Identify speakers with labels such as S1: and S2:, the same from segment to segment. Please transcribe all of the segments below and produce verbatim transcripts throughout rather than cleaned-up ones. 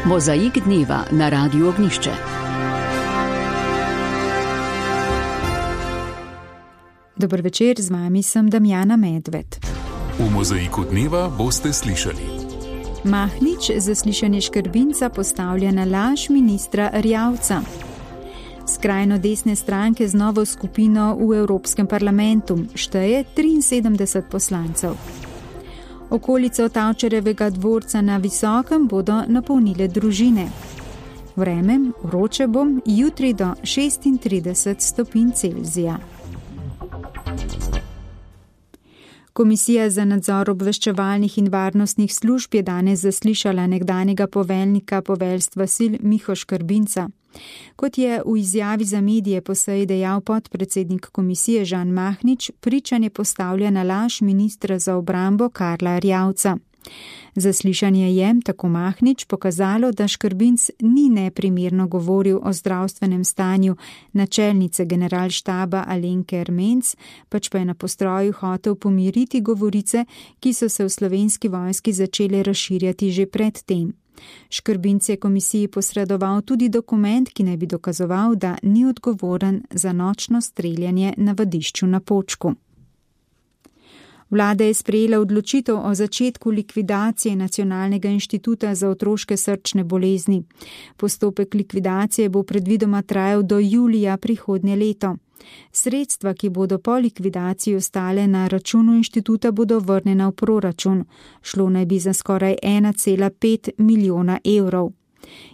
S1: Mozaik dneva na Radiu Ognjišče.
S2: Dober večer, z vami sem Damjana Medved.
S3: V Mozaiku dneva boste slišali:
S2: Mahnič zaslišanje Škrbinca postavlja na laž ministra Erjavca. Skrajno desne stranke z novo skupino v Evropskem parlamentu šteje triinsedemdeset poslancev. Okolico Tavčarjevega dvorca na Visokem bodo napolnile družine. Vreme vroče bo, jutri do šestintrideset stopinj Celzija. Komisija za nadzor obveščevalnih in varnostnih služb je danes zaslišala nekdanjega poveljnika poveljstva sil Miho Škrbinca. Kot je v izjavi za medije po seji dejal podpredsednik komisije Žan Mahnič, pričanje postavlja na laž ministra za obrambo Karla Erjavca. Zaslišanje je, tako Mahnič, pokazalo, da Škrbinc ni neprimerno govoril o zdravstvenem stanju načelnice generalštaba Alenke Ermenc, pač pa je na postroju hotel pomiriti govorice, ki so se v slovenski vojski začele razširjati že pred tem. Škrbinc je komisiji posredoval tudi dokument, ki naj bi dokazoval, da ni odgovoren za nočno streljanje na vadišču na Počku. Vlada je sprejela odločitev o začetku likvidacije Nacionalnega inštituta za otroške srčne bolezni. Postopek likvidacije bo predvidoma trajal do julija prihodnje leto. Sredstva, ki bodo po likvidaciji ostale na računu inštituta, bodo vrnjena v proračun. Šlo naj bi za skoraj ena cela pet milijona evrov.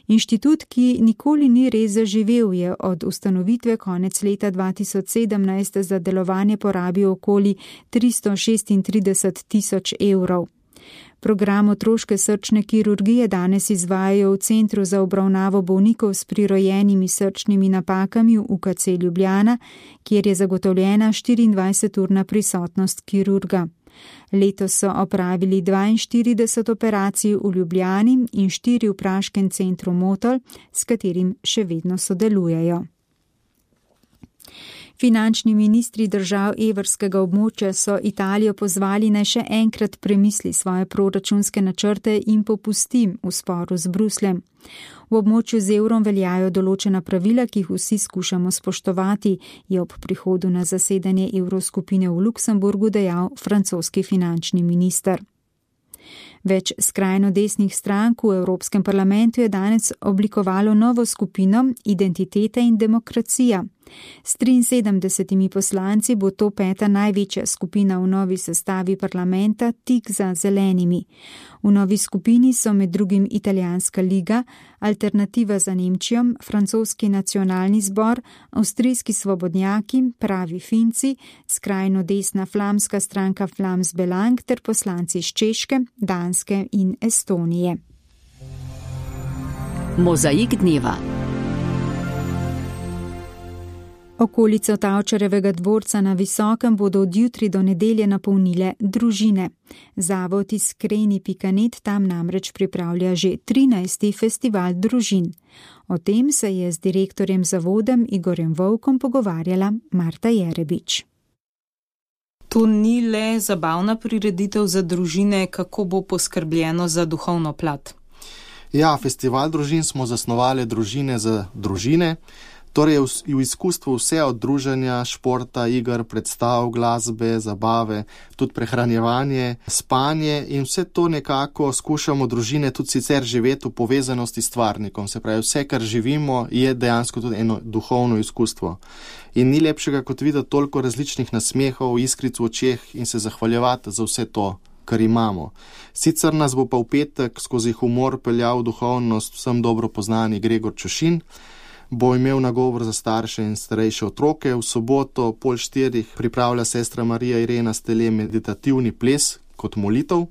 S2: Inštitut, ki nikoli ni res zaživel, je od ustanovitve konec leta dva tisoč sedemnajst za delovanje porabil okoli tristo šestintrideset tisoč evrov. Program otroške srčne kirurgije danes izvajajo v Centru za obravnavo bolnikov s prirojenimi srčnimi napakami v U K C Ljubljana, kjer je zagotovljena štiriindvajseturna prisotnost kirurga. Letos so opravili dvainštirideset operacij v Ljubljani in štiri v praškem centru Motol, s katerim še vedno sodelujejo. Finančni ministri držav evrskega območja so Italijo pozvali naj še enkrat premisli svoje proračunske načrte in popusti v sporu z Brusljem. V območju z evrom veljajo določena pravila, ki jih vsi skušamo spoštovati, je ob prihodu na zasedanje evroskupine v Luksemburgu dejal francoski finančni minister. Več skrajno desnih strank v Evropskem parlamentu je danes oblikovalo novo skupino Identiteta in demokracija. S triinsedemdesetimi poslanci bo to peta največja skupina v novi sestavi parlamenta, tik za zelenimi. V novi skupini so med drugim Italijanska liga, Alternativa za Nemčijo, Francoski nacionalni zbor, Avstrijski svobodnjaki, Pravi Finci, skrajno desna flamska stranka Flams Belang ter poslanci iz Češke, Danske in Estonije.
S1: Mozaik dneva.
S2: Okolico Tavčarjevega dvorca na Visokem bodo od jutri do nedelje napolnile družine. Zavod Iskreni pika net tam namreč pripravlja že trinajsti festival družin. O tem se je z direktorjem zavodem Igorjem Volkom pogovarjala Marta Jerebič.
S4: To ni le zabavna prireditev za družine, kako bo poskrbljeno za duhovno plat.
S5: Ja, festival družin smo zasnovali družine za družine. Torej je v izkustvu vse od druženja, športa, iger, predstav, glasbe, zabave, tudi prehranjevanje, spanje in vse to nekako skušamo družine tudi sicer živeti v povezanosti s stvarnikom. Se pravi, vse, kar živimo, je dejansko tudi eno duhovno izkustvo. In ni lepšega kot videti toliko različnih nasmehov, iskric v očeh in se zahvaljevati za vse to, kar imamo. Sicer nas bo pa v petek skozi humor peljal duhovnost vsem dobro poznani Gregor Čošin, bo imel nagovor za starše in starejše otroke. V soboto pol štirih pripravlja sestra Marija Irena Stele meditativni ples kot molitev.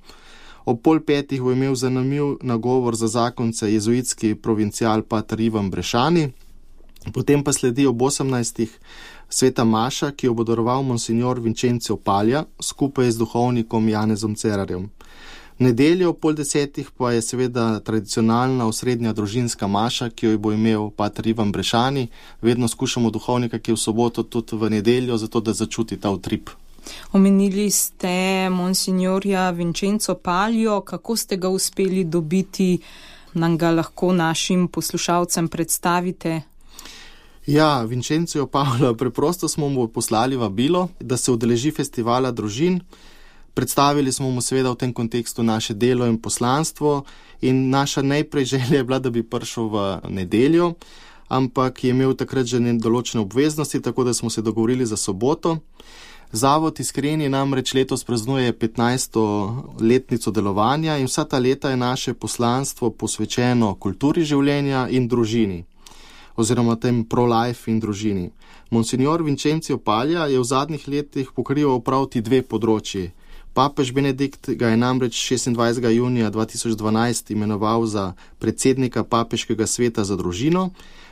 S5: Ob pol petih bo imel zanimiv nagovor za zakonce jezuitski provincial pater Ivan Brešani. Potem pa sledi ob osemnajstih sveta maša, ki jo bo daroval monsignor Vincenzo Palja skupaj z duhovnikom Janezom Cerarjem. Nedeljo pol desetih pa je seveda tradicionalna osrednja družinska maša, ki jo bo imel pater Ivan Brešani. Vedno skušamo duhovnika, ki je v soboto tudi v nedeljo, zato da začuti ta utrip.
S4: Omenili ste monsignorja Vincenzo Paljo, kako ste ga uspeli dobiti nam ga lahko našim poslušalcem predstavite?
S5: Ja, Vincencio Pavla, preprosto smo mu poslali vabilo, da se udeleži festivala družin. Predstavili smo mu seveda v tem kontekstu naše delo in poslanstvo in naša najprej želja je bila, da bi prišel v nedeljo, ampak je imel takrat že določene obveznosti, tako da smo se dogovorili za soboto. Zavod Iskreni namreč letos praznuje petnajsto letnico delovanja in vsa ta leta je naše poslanstvo posvečeno kulturi življenja in družini, oziroma tem pro-life in družini. Monsignor Vincencio Paglia je v zadnjih letih pokrival prav ti dve področji. Papež Benedikt ga je namreč šestindvajsetega junija dva tisoč dvanajst imenoval za predsednika Papeškega sveta za družino,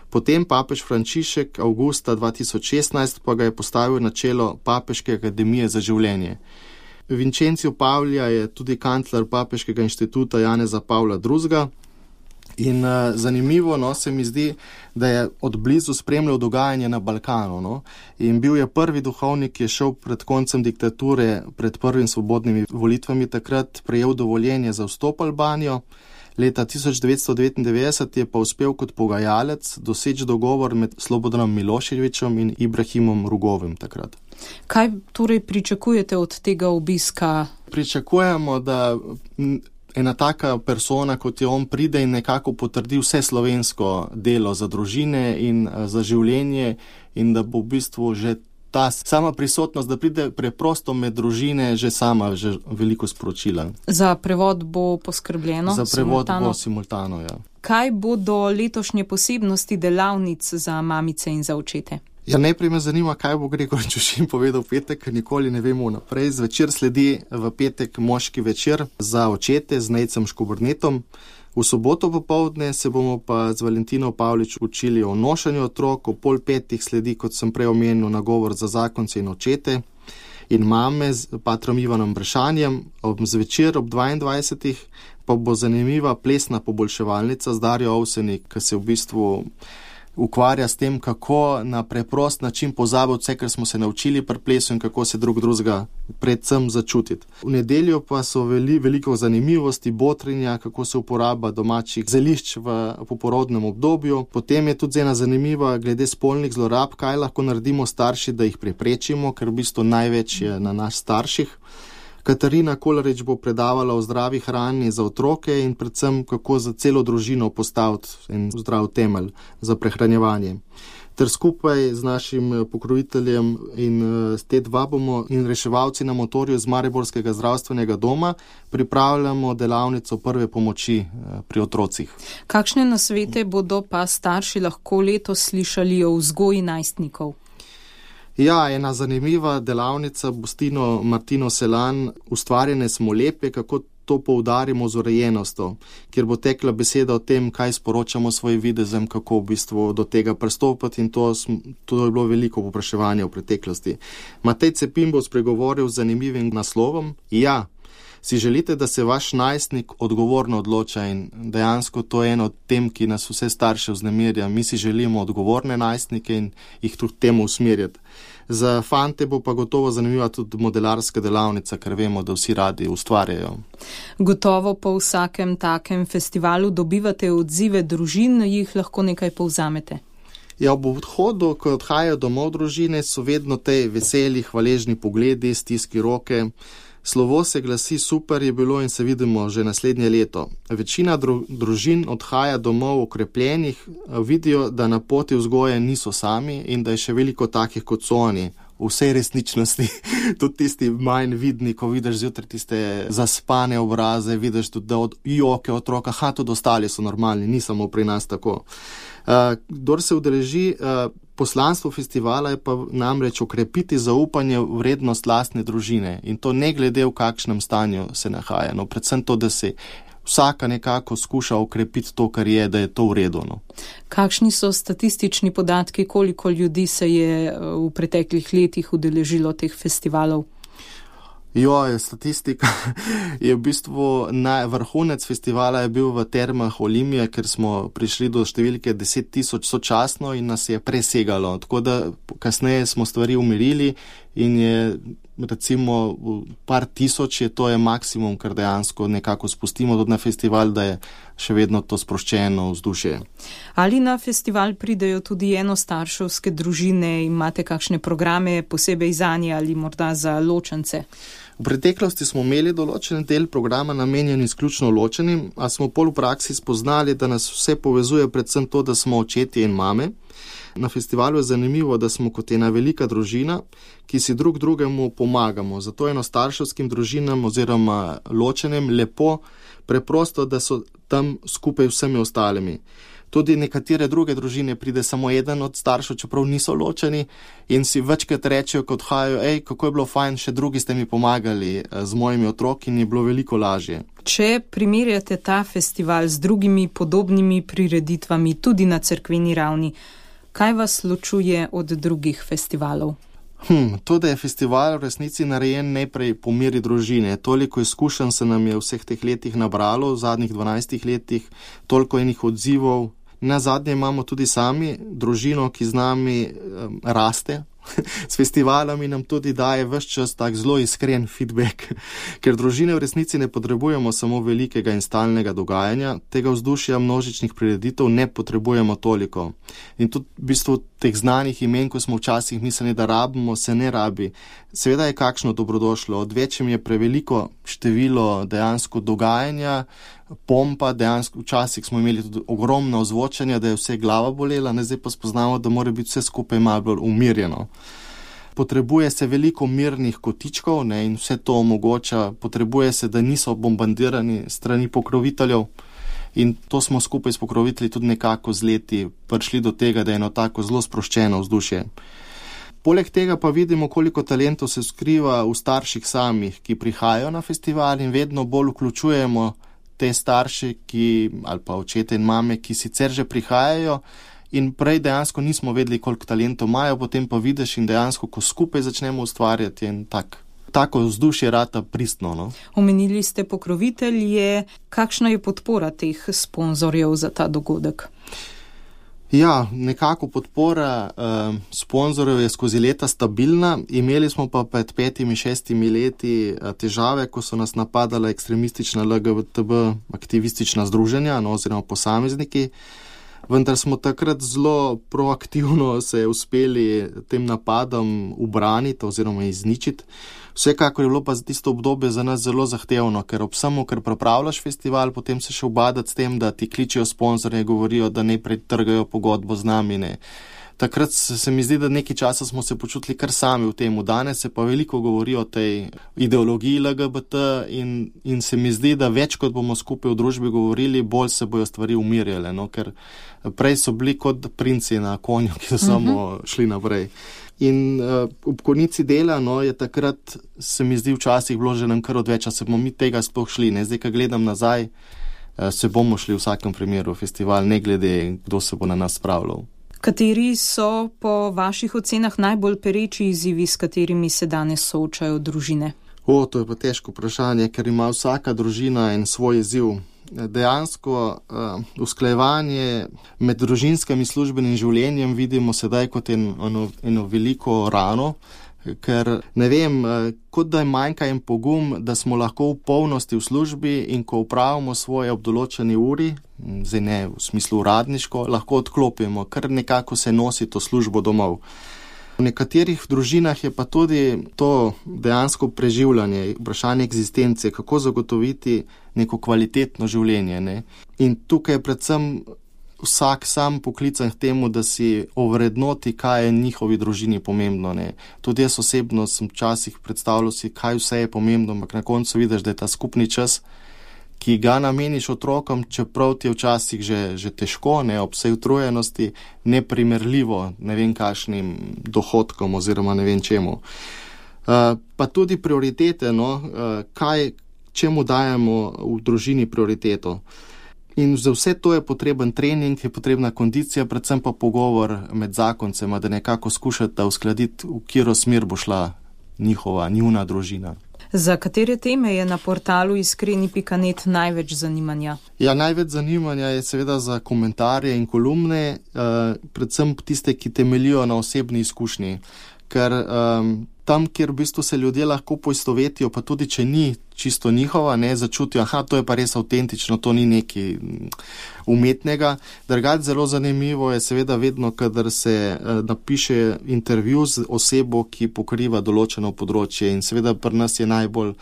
S5: potem papež Frančišek avgusta dva tisoč šestnajst pa ga je postavil na čelo Papeške akademije za življenje. Vincencio Paglia je tudi kancler Papeškega inštituta Janeza Pavla drugega. In uh, zanimivo no, se mi zdi, da je od blizu spremljal dogajanje na Balkanu. No? In bil je prvi duhovnik, ki je šel pred koncem diktature, pred prvim svobodnimi volitvami takrat, prejel dovoljenje za vstop Albanijo. Leta tisoč devetsto devetindevetdeset je pa uspel kot pogajalec doseči dogovor med Slobodanom Miloševićem in Ibrahimom Rugovim takrat.
S4: Kaj torej pričakujete od tega obiska?
S5: Pričakujemo, da ena taka persona, kot je on, pride in nekako potrdi vse slovensko delo za družine in za življenje in da bo v bistvu že ta sama prisotnost, da pride preprosto med družine, že sama že veliko sporočila.
S4: Za prevod bo poskrbljeno?
S5: Za prevod
S4: simultano?
S5: bo simultano, ja.
S4: Kaj bodo letošnje posebnosti delavnic za mamice in za očete?
S5: Ja, najprej me zanima, kaj bo Gregor Čušin povedal v petek, ker nikoli ne vemo naprej. Zvečer sledi v petek moški večer za očete z Nejcem Škobrnetom. V soboto popoldne se bomo pa z Valentino Pavlič učili o nošanju otrok, o pol petih sledi, kot sem prej omenil, nagovor za zakonce in očete in mame z patrom Ivanom Brešanjem. Ob zvečer ob dvaindvajsetih pa bo zanimiva plesna poboljševalnica z Darjo Ovsenik, ki se v bistvu ukvarja s tem, kako na preprost način pozabiti vse, kar smo se naučili pri plesu in kako se drug drugega predvsem začutiti. V nedeljo pa so veli, veliko zanimivosti, botrinja, kako se uporaba domačih zelišč v poporodnem obdobju. Potem je tudi ena zanimiva glede spolnih zlorab, kaj lahko naredimo starši, da jih preprečimo, ker v bistvu največ je na nas starših. Katarina Kolarič bo predavala o zdravi hrani za otroke in predvsem kako za celo družino postaviti en zdrav temelj za prehranjevanje. Ter skupaj z našim pokroviteljem in te dva bomo in reševalci na motorju z Mariborskega zdravstvenega doma pripravljamo delavnico prve pomoči pri otrocih.
S4: Kakšne nasvete bodo pa starši lahko letos slišali o vzgoji najstnikov?
S5: Ja, ena zanimiva delavnica bo s Tino Martino Selan, Ustvarjene smo lepe, kako to poudarimo z urejenostjo, kjer bo tekla beseda o tem, kaj sporočamo svojim videzem, kako v bistvu do tega pristopiti in to, to je bilo veliko povpraševanja v preteklosti. Matej Cepin bo spregovoril z zanimivim naslovom. Ja, si želite, da se vaš najstnik odgovorno odloča in dejansko to je eno od tem, ki nas vse starše vznemirja. Mi si želimo odgovorne najstnike in jih tudi temu usmerjati. Za fante bo pa gotovo zanimiva tudi modelarska delavnica, ker vemo, da vsi radi ustvarjajo.
S4: Gotovo po vsakem takem festivalu dobivate odzive družin, jih lahko nekaj povzamete.
S5: Ja, ob odhodu, ko odhajajo domov družine, so vedno te veseli, hvaležni pogledi, stiski roke. Slovo se glasi, super je bilo in se vidimo že naslednje leto. Večina dru- družin odhaja domov okrepljenih, vidijo, da na poti vzgoje niso sami in da je še veliko takih kot so oni. V vsej resničnosti, tudi tisti manj vidni, ko vidiš zjutraj tiste zaspane obraze, vidiš tudi, da od joke otroka, ha, tudi ostali so normalni, ni samo pri nas tako. Uh, kdor se udeleži, uh, poslanstvo festivala je pa namreč okrepiti zaupanje v vrednost lastne družine in to ne glede v kakšnem stanju se nahaja. No, predvsem to, da se vsaka nekako skuša okrepiti to, kar je, da je to v redu. No.
S4: Kakšni so statistični podatki, koliko ljudi se je v preteklih letih udeležilo teh festivalov?
S5: Jo, statistika je v bistvu na vrhunec festivala je bil v termah Olimije, ker smo prišli do številke deset tisoč sočasno in nas je presegalo. Tako da kasneje smo stvari umirili in je recimo par tisoč je, to je maksimum, kar dejansko nekako spustimo tudi na festival, da je še vedno to sproščeno vzdušje.
S4: Ali na festival pridejo tudi enostarševske družine, imate kakšne programe posebej zanje ali morda za ločence?
S5: V preteklosti smo imeli določen del programa namenjen izključno ločenim, a smo pol v praksi spoznali, da nas vse povezuje predvsem to, da smo očetje in mame. Na festivalu je zanimivo, da smo kot ena velika družina, ki si drug drugemu pomagamo. Zato enostarševskim družinam oziroma ločenim lepo, preprosto, da so tam skupaj vsemi ostalimi. Tudi nekatere druge družine pride samo eden od staršev, čeprav niso ločeni in si večkrat rečejo, kot hajo, ej, kako je bilo fajn, še drugi ste mi pomagali z mojimi otroki in je bilo veliko lažje.
S4: Če primerjate ta festival z drugimi podobnimi prireditvami tudi na cerkveni ravni, kaj vas ločuje od drugih festivalov?
S5: Hm, to, da je festival v resnici narejen najprej po meri družine. Toliko izkušenj se nam je v vseh teh letih nabralo, v zadnjih dvanajstih letih, toliko enih odzivov. Na zadnje imamo tudi sami družino, ki z nami um, raste. S festivalami nam tudi daje ves čas tak zelo iskren feedback, ker družine v resnici ne potrebujemo samo velikega in stalnega dogajanja, tega vzdušja množičnih prireditev ne potrebujemo toliko. In tudi v bistvu teh znanih imen, ko smo včasih mislili, da rabimo, se ne rabi. Seveda je kakšno dobrodošlo, odvečjem je preveliko število dejansko dogajanja, pompa, dejansko včasih smo imeli tudi ogromno ozvočanja, da je vse glava bolela, ne zdaj pa spoznamo, da mora biti vse skupaj malo bolj umirjeno. Potrebuje se veliko mirnih kotičkov, ne, in vse to omogoča, potrebuje se, da niso bombardirani strani pokroviteljev in to smo skupaj s pokrovitelji tudi nekako z leti prišli do tega, da je eno tako zelo sproščeno vzdušje. Poleg tega pa vidimo, koliko talentov se skriva v starših samih, ki prihajajo na festival in vedno bolj vključujemo te starše, ki, ali pa očete in mame, ki sicer že prihajajo in prej dejansko nismo vedeli, koliko talentov imajo, potem pa vidiš in dejansko, ko skupaj začnemo ustvarjati in tak, tako vzdušje rata pristno. No?
S4: Omenili ste pokrovitelje, kakšna je podpora teh sponzorjev za ta dogodek?
S5: Ja, nekako podpora eh, sponzorjev je skozi leta stabilna. Imeli smo pa pred petimi, šestimi leti eh, težave, ko so nas napadala ekstremistična L G B T B aktivistična združenja, no, oziroma posamezniki. Vendar smo takrat zelo proaktivno se uspeli tem napadom ubraniti oziroma izničiti. Vsekakor je bilo pa za tisto obdobje za nas zelo zahtevno, ker ob samo, ker pripravljaš festival, potem se še ubadati s tem, da ti kličijo sponzorje, govorijo, da ne pretrgajo pogodbo z nami. Ne. Takrat se mi zdi, da nekaj časa smo se počutili kar sami v temu. Danes se pa veliko govori o tej ideologiji L G B T in, in se mi zdi, da več kot bomo skupaj v družbi govorili, bolj se bojo stvari umirjale, no? Ker prej so bili kot princi na konju, ki so uh-huh. samo šli naprej. In uh, ob konici dela, no, je takrat, se mi zdi, včasih bilo že nam kar odveč, a se bomo mi tega sploh šli. Ne? Zdaj, ko gledam nazaj, uh, se bomo šli v vsakem primeru v festival, ne glede, kdo se bo na nas spravljal.
S4: Kateri so po vaših ocenah najbolj pereči izzivi, s katerimi se danes soočajo družine?
S5: O, to je pa težko vprašanje, ker ima vsaka družina en svoj izziv. Dejansko uh, usklajevanje med družinskim in službenim življenjem vidimo sedaj kot en, eno, eno veliko rano, ker ne vem, uh, kot da je manjka en pogum, da smo lahko v polnosti v službi in ko upravimo svoje ob določeni uri, zdaj ne v smislu uradniško, lahko odklopimo, kar nekako se nosi to službo domov. V nekaterih družinah je pa tudi to dejansko preživljanje, vprašanje egzistence, kako zagotoviti neko kvalitetno življenje. Ne? In tukaj je predvsem vsak sam poklican k temu, da si ovrednoti, kaj je njihovi družini pomembno. Ne? Tudi jaz osebno sem včasih predstavljal si, kaj vse je pomembno, ampak na koncu vidiš, da je ta skupni čas, ki ga nameniš otrokom, čeprav ti je včasih že, že težko, ne, ob vsej utrujenosti, neprimerljivo, ne vem kakšnim dohodkom oziroma ne vem čemu. Uh, pa tudi prioritete, no, uh, kaj, čemu dajemo v družini prioriteto. In za vse to je potreben trening, je potrebna kondicija, predvsem pa pogovor med zakoncema, da nekako skušate uskladiti, v katero smer bo šla njihova, njuna družina.
S4: Za katere teme je na portalu iskreni pika net največ zanimanja?
S5: Ja, največ zanimanja je seveda za komentarje in kolumne, eh, predvsem tiste, ki temeljijo na osebni izkušnji. Ker um, tam, kjer v bistvu se ljudje lahko poistovetijo, pa tudi če ni čisto njihova, ne, začutijo, aha, to je pa res avtentično, to ni nekaj umetnega. Drugače zelo zanimivo je seveda vedno, kadar se eh, napiše intervju z osebo, ki pokriva določeno področje, in seveda pri nas je najbolj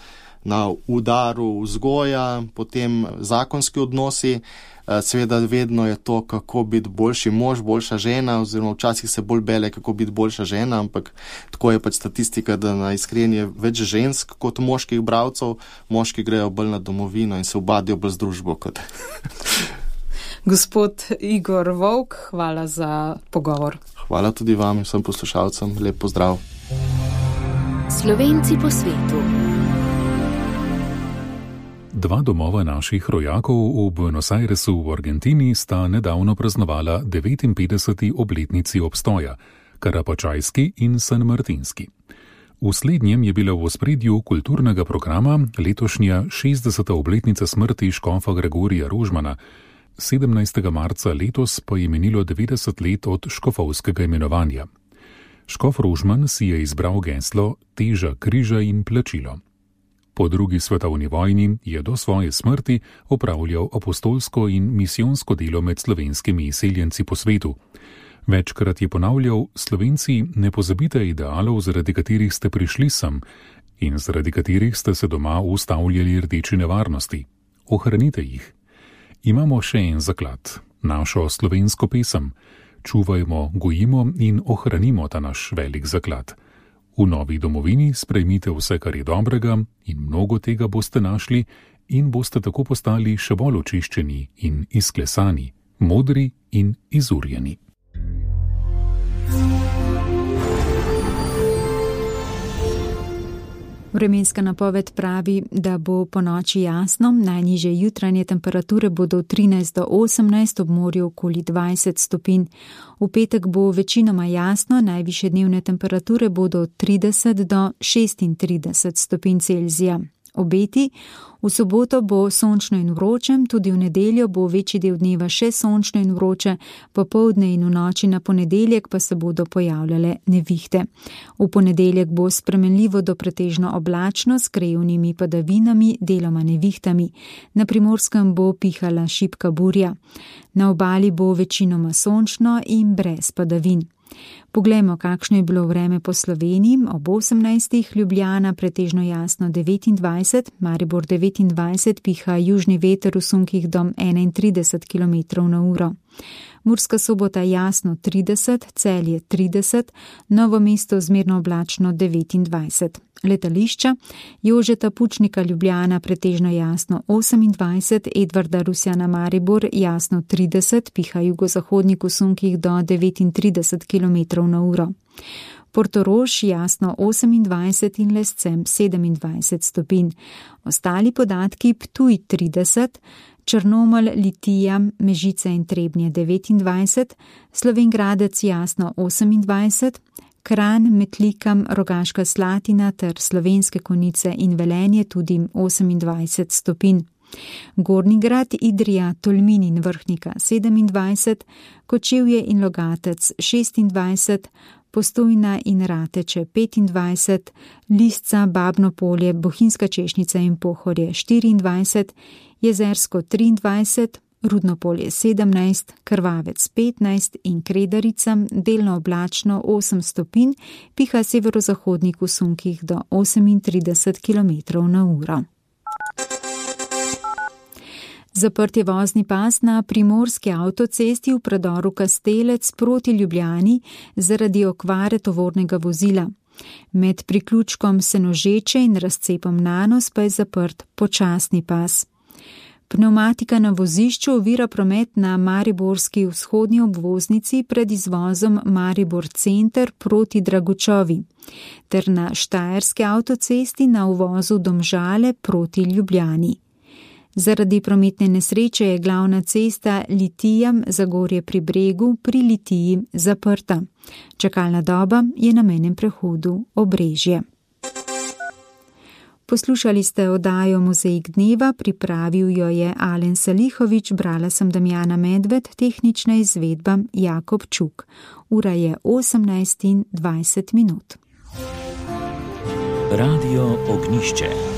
S5: na udaru vzgoja, potem zakonski odnosi. Seveda vedno je to, kako biti boljši mož, boljša žena, oziroma včasih se bolj bele, kako biti boljša žena, ampak tako je pač statistika, da na Iskren je več žensk kot moških bralcev, moški grejo bolj na domovino in se ubadijo bolj z družbo. Kot.
S4: Gospod Igor Volk, hvala za pogovor.
S5: Hvala tudi vam in vsem poslušalcem. Lep pozdrav.
S1: Slovenci po svetu.
S3: Dva domova naših rojakov v Buenos Airesu v Argentini sta nedavno praznovala devetinpetdeseti obletnici obstoja, Karapačajski in San Martinski. V slednjem je bila v ospredju kulturnega programa letošnja šestdeseta obletnica smrti škofa Gregorija Rožmana, sedemnajstega marca letos pa je minilo devetdeset let od škofovskega imenovanja. Škof Rožman si je izbral geslo Teža križa in plačilo. Po drugi svetovni vojni je do svoje smrti opravljal apostolsko in misijonsko delo med slovenskimi izseljenci po svetu. Večkrat je ponavljal: Slovenci, ne pozabite idealov, zaradi katerih ste prišli sem in zaradi katerih ste se doma ustavljali rdeči nevarnosti. Ohranite jih. Imamo še en zaklad, našo slovensko pesem. Čuvajmo, gojimo in ohranimo ta naš velik zaklad. V novi domovini sprejmite vse, kar je dobrega, in mnogo tega boste našli in boste tako postali še bolj očiščeni in izklesani, modri in izurjeni.
S2: Vremenska napoved pravi, da bo po noči jasno, najnižje jutranje temperature bodo od trinajst do osemnajst, ob morju okoli dvajset stopinj. V petek bo večinoma jasno, najvišje dnevne temperature bodo od trideset do šestintrideset stopinj Celzija. Obeti: v soboto bo sončno in vroče, tudi v nedeljo bo večji del dneva še sončno in vroče, popoldne in v noči na ponedeljek pa se bodo pojavljale nevihte. V ponedeljek bo spremenljivo do pretežno oblačno s krajevnimi padavinami, deloma nevihtami. Na Primorskem bo pihala šibka burja. Na obali bo večinoma sončno in brez padavin. Poglejmo, kakšno je bilo vreme po Sloveniji. Ob osemnajstih Ljubljana pretežno jasno devetindvajset, Maribor devetindvajset, piha južni veter v sunkih do enaintrideset kilometrov na uro. Murska Sobota jasno trideset, Celje trideset, Novo mesto zmerno oblačno devetindvajset. Letališča: Jožeta Pučnika Ljubljana pretežno jasno osemindvajset, Edvarda Rusjana Maribor jasno trideset, piha jugozahodnik v sunkih do devetintrideset kilometrov na uro. Portorož jasno osemindvajset in Lescem sedemindvajset stopinj. Ostali podatki: Ptuj trideset, Črnomelj, Litija, Mežica in Trebnje devetindvajset, Slovenj Gradec jasno osemindvajset, Kranj, Metlikam, Rogaška Slatina ter Slovenske Konjice in Velenje tudi osemindvajset stopinj. Gornji Grad, Idrija, Tolmin in Vrhnika sedemindvajset, Kočevje in Logatec šestindvajset, Postojna in Rateče petindvajset, Lisca, Babno Polje, Bohinjska Češnjica in Pohorje štiriindvajset, Jezersko triindvajset, Rudno Polje sedemnajst, Krvavec petnajst in Kredarica delno oblačno osem stopinj, piha severozahodnik v sunkih do osemintrideset kilometrov na uro. Zaprt je vozni pas na primorski avtocesti v predoru Kastelec proti Ljubljani zaradi okvare tovornega vozila. Med priključkom Senožeče in razcepom Nanos pa je zaprt počasni pas. Pneumatika na vozišču ovira promet na mariborski vzhodni obvoznici pred izvozom Maribor Center proti Dragučovi, ter na štajerski avtocesti na uvozu Domžale proti Ljubljani. Zaradi prometne nesreče je glavna cesta Litija Zagorje pri Bregu pri Litiji zaprta. Čakalna doba je na mejnem prehodu Obrežje. Poslušali ste oddajo Mozaik dneva, pripravil jo je Alen Salihovič, brala sem Damjana Medved, tehnična izvedba Jakob Čuk. Ura je osemnajst in dvajset minut.
S6: Radio Ognišče.